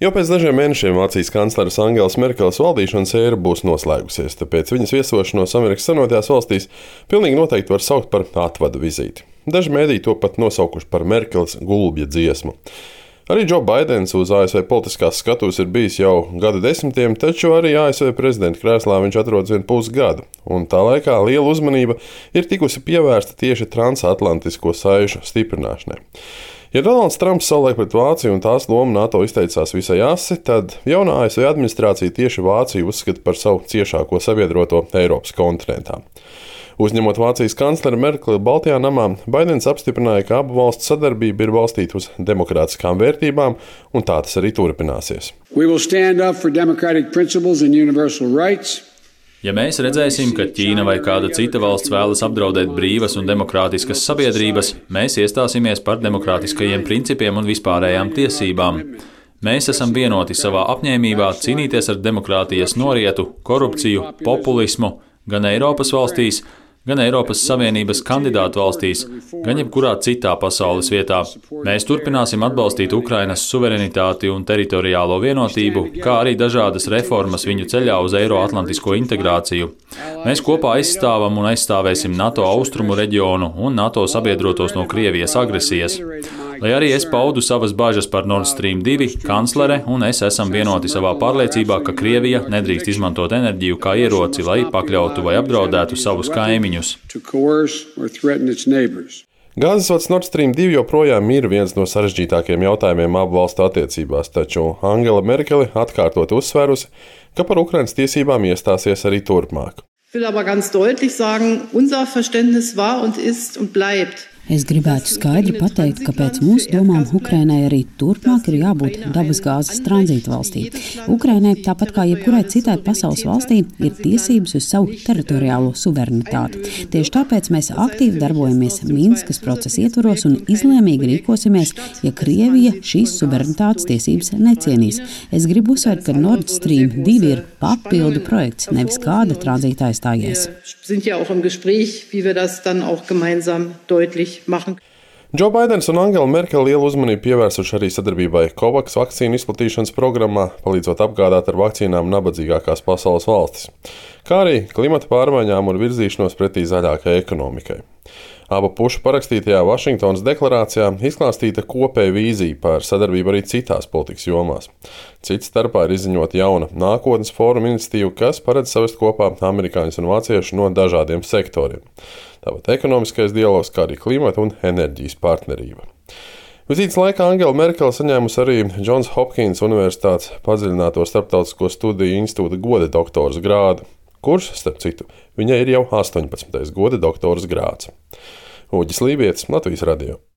Jau pēc dažiem mēnešiem Vācijas kancleres Angelas Merkeles valdīšanas ēra būs noslēgusies, tāpēc viņas viesošanos Amerikas Savienotajās valstīs pilnīgi noteikti var saukt par atvadu vizīti. Daži mēdīji to pat nosaukuši par Merkeles gulbja dziesmu. Arī Džo Baidens uz ASV politiskās skatuves ir bijis jau gadu desmitiem, taču arī ASV prezidenta krēslā viņš atrodas vien pusgadu, un tā laikā liela uzmanība ir tikusi pievērsta tieši transatlantisko saišu stiprināšanai. Ja Donalds Trumps savulaik pret Vāciju un tās lomu NATO izteicās visai asi, tad jaunā ASV administrācija tieši Vāciju uzskata par savu ciešāko sabiedroto Eiropas kontinentā. Uzņemot Vācijas kancleri Merkeli Baltijā namā, Baidens apstiprināja, ka abu valstu sadarbība ir balstīta uz demokrātiskām vērtībām, un tā tas arī turpināsies. Ja mēs redzēsim, ka Ķīna vai kāda cita valsts vēlas apdraudēt brīvas un demokrātiskas sabiedrības, mēs iestāsimies par demokrātiskajiem principiem un vispārējām tiesībām. Mēs esam vienoti savā apņēmībā cīnīties ar demokrātijas norietu, korupciju, populismu gan Eiropas valstīs, gan Eiropas Savienības kandidātu valstīs, gan jebkurā citā pasaules vietā. Mēs turpināsim atbalstīt Ukrainas suverenitāti un teritoriālo vienotību, kā arī dažādas reformas viņu ceļā uz Eiroatlantisko integrāciju. Mēs kopā aizstāvam un aizstāvēsim NATO austrumu reģionu un NATO sabiedrotos no Krievijas agresijas. Lai arī es paudu savas bažas par Nord Stream 2, kanclere un es esam vienoti savā pārliecībā, ka Krievija nedrīkst izmantot enerģiju kā ieroci, lai pakļautu vai apdraudētu savus kaimiņus. Gāzes vads Nord Stream 2 joprojām ir viens no sarežģītākajiem jautājumiem abu valstu attiecībās, taču Angela Merkele atkārtot uzsvērusi, ka par Ukrainas tiesībām iestāsies arī turpmāk. Ich will aber ganz deutlich sagen, unser Verständnis war und ist und bleibt. Es gribētu skaidri pateikt, ka pēc mūsu domām Ukrainai arī turpmāk ir jābūt dabasgāzes tranzīta valstī. Ukrainai, tāpat kā jebkurai citai pasaules valstī, ir tiesības uz savu teritoriālo suverenitāti. Tieši tāpēc mēs aktīvi darbojamies Minskas procesa ietvaros un izlēmīgi rīkosimies, ja Krievija šīs suverenitātes tiesības necienīs. Es gribu uzsvērt, ka Nord Stream 2 ir papildu projekts, nevis kāda tranzīta aizstājies. Džo Baidens un Angela Merkele lielu uzmanību pievērsuši arī sadarbībai COVAX vakcīnu izplatīšanas programmā, palīdzot apgādāt ar vakcīnām nabadzīgākās pasaules valstis, kā arī klimata pārmaiņām un virzīšanos pretī zaļākai ekonomikai. Abu pušu parakstītajā Vašingtonas deklarācijā izklāstīta kopēja vīzija par sadarbību arī citās politikas jomās. Cits starpā ir izziņota jauna nākotnes fóruma iniciatīva, kas paredz savest kopā amerikāņus un vāciešus no dažādiem sektoriem. Tāpat ekonomiskais dialogs, kā arī klimata un enerģijas partnerība. Vizītes laikā Angela Merkele saņēmusi arī Johns Hopkins Universitātes padziļināto starptautisko studiju institūta goda doktora grādu, kurš, starp citu, viņai ir jau 18. goda doktora grāds. Uģis Lībietis, Latvijas radio.